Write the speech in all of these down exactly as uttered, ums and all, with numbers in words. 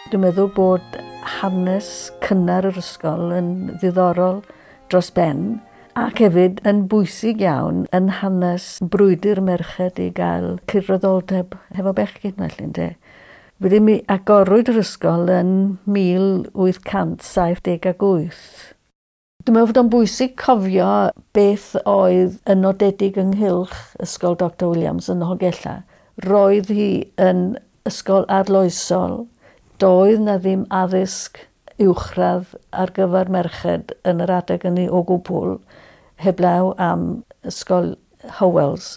Dwi'n meddwl bod hanes cynnar yr ysgol yn ddiddorol dros ben ac hefyd yn bwysig iawn yn hanes brwydr merched i gael cydraddoldeb hefo bechgyn felly, ynde. Wedyn mi agorwyd yr ysgol yn mil wyth cant saith deg ag wyth. Dwi'n meddwl fod o'n bwysig cofio beth oedd yn nodedig ynghylch Ysgol Doctor Williams yn Nholgellau. Roedd hi yn ysgol arloesol. Doedd na ddim addysg uwchradd ar gyfer merched yn yr adeg hynny o gwbl, heblaw am Ysgol Howells.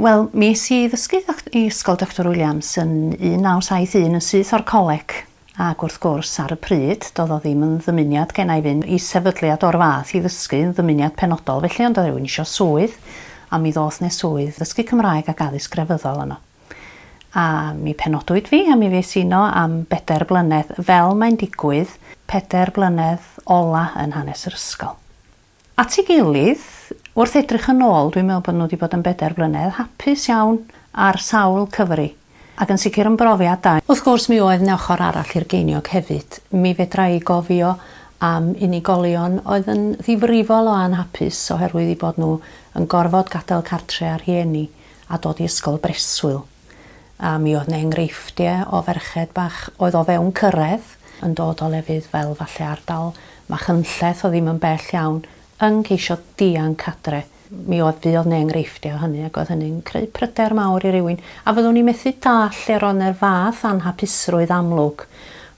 Wel, mi es i ddysgu i Ysgol Doctor Williams yn un naw saith un yn syth o'r coleg. Ac wrth gwrs, ar y pryd, doedd o ddim yn ddymuniad gen i fynd i sefydliad o'r fath i ddysgu yn ddymuniad penodol. Felly, ond oedd rhywun isio swydd, a mi ddoth 'ne swydd ddysgu Cymraeg ac addysg grefyddol yno. A mi penodwyd fi, a mi fues i yno am bedair blynedd, fel mae'n digwydd, pedair blynedd ola yn hanes yr ysgol. At ei gilydd, wrth edrych yn ôl, dwi'n meddwl bod nhw wedi bod yn bedair blynedd hapus iawn ar sawl cyfri, ac yn sicr yn brofiad da. Wrth gwrs, mi oedd 'na ochr arall i'r geiniog hefyd. Mi fedra i gofio am unigolion oedd yn ddifrifol o anhapus oherwydd eu bod nhw yn gorfod gadael cartre a rhieni a dod i ysgol breswyl. A mi oedd 'na enghreifftiau o ferched bach oedd o fewn cyrraedd yn dod o lefydd fel falle ardal Machynlleth o ddim yn bell iawn yn ceisio dianc adre. Mi oedd fuodd 'na enghreifftiau o hynny ac oedd hynny'n creu pryder mawr i rywun. A fyddwn i'n methu dall lle roedd 'na'r fath anhapusrwydd amlwg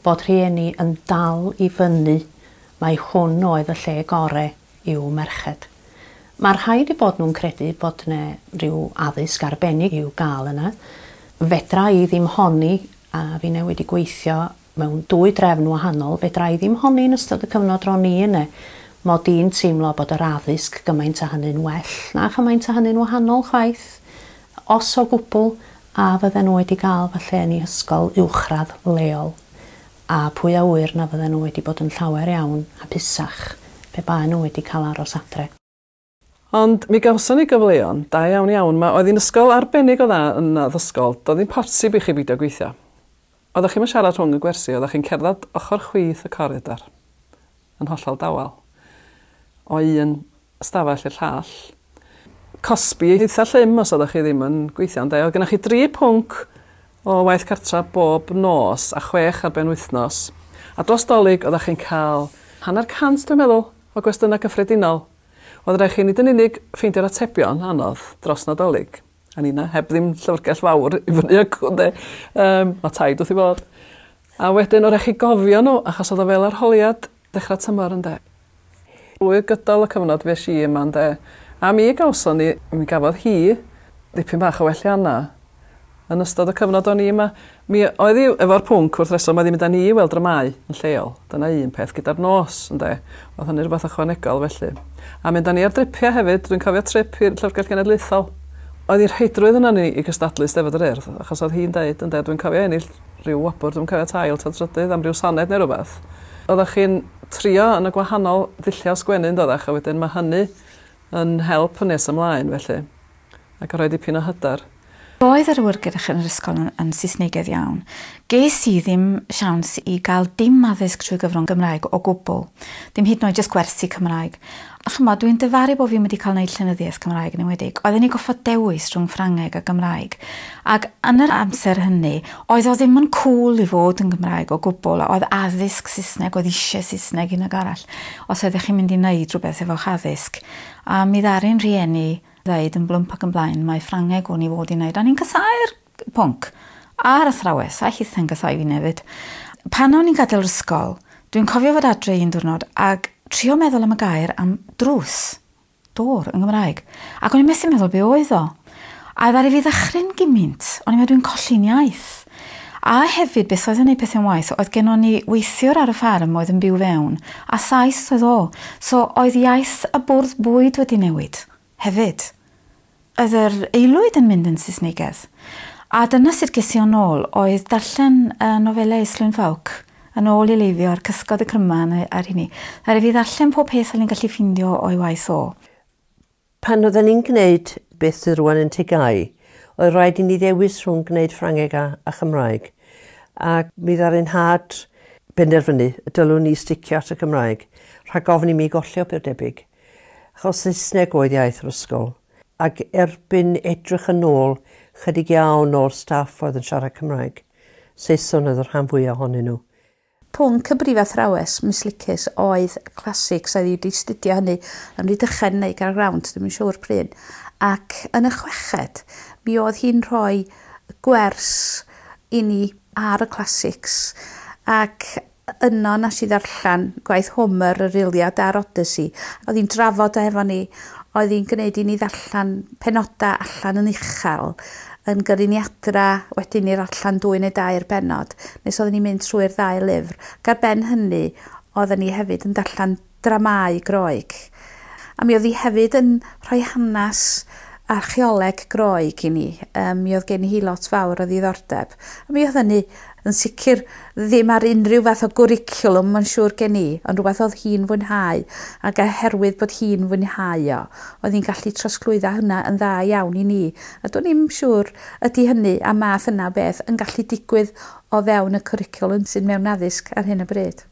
bod rhieni yn dal i fyny mai hwn oedd y lle gore i'w merched. Mae rhaid i bod nhw'n credu bod 'na rhyw addysg arbennig i'w gael yna. Fedra i ddim honni, a finne wedi gweithio mewn dwy drefn wahanol, fedra i ddim honni yn ystod y cyfnod ro'n i yna, mod i'n teimlo bod yr addysg gymaint a hynny'n well na chymaint a hynny'n wahanol chwaith, os o gwbl, a fydden nhw wedi gael falle yn eu hysgol uwchradd leol, a pwy a ŵyr na fydden nhw wedi bod yn llawer iawn hapusach pe baen nhw wedi cael aros adre. Ond mi gawson ni gyfleon, da iawn iawn. Ma, oedd hi'n ysgol arbennig o dda yn addysgol, doedd ddim posib i chi beidio gweithio. Oeddech chi'm yn siarad rhwng y gwersi, oeddech chi'n cerdded ochr chwith y coridor, yn hollol dawel, o un ystafell i'r llall. Cosbi eitha llym os oeddech chi ddim yn gweithio, ynde? Oedd gennych chi dri pwnc o waith cartra bob nos a chwech ar ben wythnos. A dros Dolig oeddech chi'n cael hanner cant, dwi'n meddwl, o gwestiynau cyffredinol. Oedd rhaid chi nid yn unig ffeindio'r atebion anodd dros Nadolig. A nina, heb ddim llyfrgell fawr i fyny acw, ynde. Yym, ma' taid wrth i bodd. A wedyn oedd rhaid chi gofio nhw, achos oedd o fel arholiad dechrau tymor, ynde. Drwy gydol y cyfnod fues i yma, ynde. A mi gawson ni, mi gafodd hi dipyn bach o welliannau yn ystod y cyfnod o'n i yma. Mi oedd hi efo'r pwnc wrth reswm, oedd hi'n mynd â ni i weld dramâu yn lleol. Dyna un peth gyda'r nos, ynde. Oedd hynny rhywbeth ychwanegol felly. A mynd â ni ar dripiau hefyd, dwi'n cofio trip i'r Llyfrgell Genedlaethol. Oedd hi'n rheidrwydd yna ni i gystadlu Steddfod yr Urdd, achos oedd hi'n deud, ynde, dwi'n cofio ennill rhyw wobr, dwi'n cofio tail ta trydydd am ryw soned neu rhywbeth. Oeddech chi'n trio yn y gwahanol ddulliau sgwennu, yn doeddech, a wedyn mae hynny yn help yn nes ymlaen felly, ac yn rhoi dipyn o hyder. Oedd yr awyrgylch yn yr ysgol yn, yn Saesnegaidd iawn. Ges i ddim siawns i gael dim addysg trwy gyfrwng Gymraeg o gwbl. Dim hyd yn oed jyst gwersi Cymraeg. A chymod, dwi'n dyfaru bod fi wedi cael gwneud llenyddiaeth Cymraeg yn enwedig. Oedden ni goffod dewis rhwng Ffrangeg a Gymraeg. Ac yn yr amser hynny, oedd o ddim yn cool i fod yn Gymraeg o gwbl. Oedd addysg Saesneg, oedd eisiau Saesneg un ag arall. Os oeddech chi'n mynd i wneud rhywbeth efo'ch addysg. A mi ddaru'n rhieni ddeud yn blwmp ac yn blaen, mae Ffrangeg o'n i fod i wneud. A ni'n casáu'r pwnc. A'r athrawes, a hitha'n casáu fi hefyd. Pan o'n i'n gadael yr ysgol, dwi'n cofio fod adre un diwrnod ac trio meddwl am y gair am drws, door yn Gymraeg. Ac o'n i'n methu meddwl be oedd o. A ddaru fi ddychryn gymaint, o'n i'n meddwl dwi'n colli'n iaith. A hefyd, beth oedd yn ei pethau'n waith, oedd gennon ni weithiwr ar y ffarm oedd yn byw fewn, a Sais oedd o. So oedd iaith y bwrdd bwyd wedi newid hefyd. Oedd yr aelwyd yn mynd yn Saesnegaidd. A dyna sut ges i o'n ôl, oedd darllen y nofelau Islwyn Ffowc yn ôl i leifio ar Cysgod y Cryman ar hynny. Ddaru fi ddarllen pob peth o'n i'n gallu ffindio o'i waith o. Pan oedden ni'n gwneud beth sydd rwan yn T G A U, oedd rhaid i ni ddewis rhwng gwneud Ffrangeg a, a Chymraeg. Ac mi ddaru'n nhad benderfynu y dylwn ni sticio at y Cymraeg, rhag ofn i mi golli o beth debyg. Achos Saesneg oedd iaith yr ysgol. Ac erbyn edrych yn ôl, chydig iawn o'r staff oedd yn siarad Cymraeg. Saeson oedd y rhan fwyaf ohonyn nhw. Pwnc y brifathrawes, Miss Licus, oedd classics, oedd wedi astudio hynny yn Rhydychen neu Gaergrawnt, ddim yn siŵr pryd. Ac yn y chweched, mi oedd hi'n rhoi gwers i ni ar y classics. Ac yno nes i ddarllen gwaith Homer, yr Iliad a'r Odyssey. Oedd hi'n drafod efo ni, oedd hi'n gwneud i ni ddarllen penodau allan yn uchel, yn gyrru ni adra wedyn i'r allan dwy neu dair bennod, nes oedden ni'n mynd trwy'r ddau lyfr. Ac ar ben hynny, oedden ni hefyd yn darllen dramau Groeg. A mi oedd hi hefyd yn rhoi hanes archeoleg Groeg i ni. Um, mi oedd gen hi lot fawr o ddiddordeb. A mi oedd hynny yn sicr ddim ar unrhyw fath o gwricwlwm, mae'n siŵr gen i, ond rhywbeth oedd hi'n fwynhau, ac oherwydd bod hi'n fwynhau o, oedd hi'n gallu trosglwyddo hynna yn dda iawn i ni. A do'n i'm siŵr ydy hynny a math yna o beth yn gallu digwydd o fewn y cwricwlwm sydd mewn addysg ar hyn o bryd.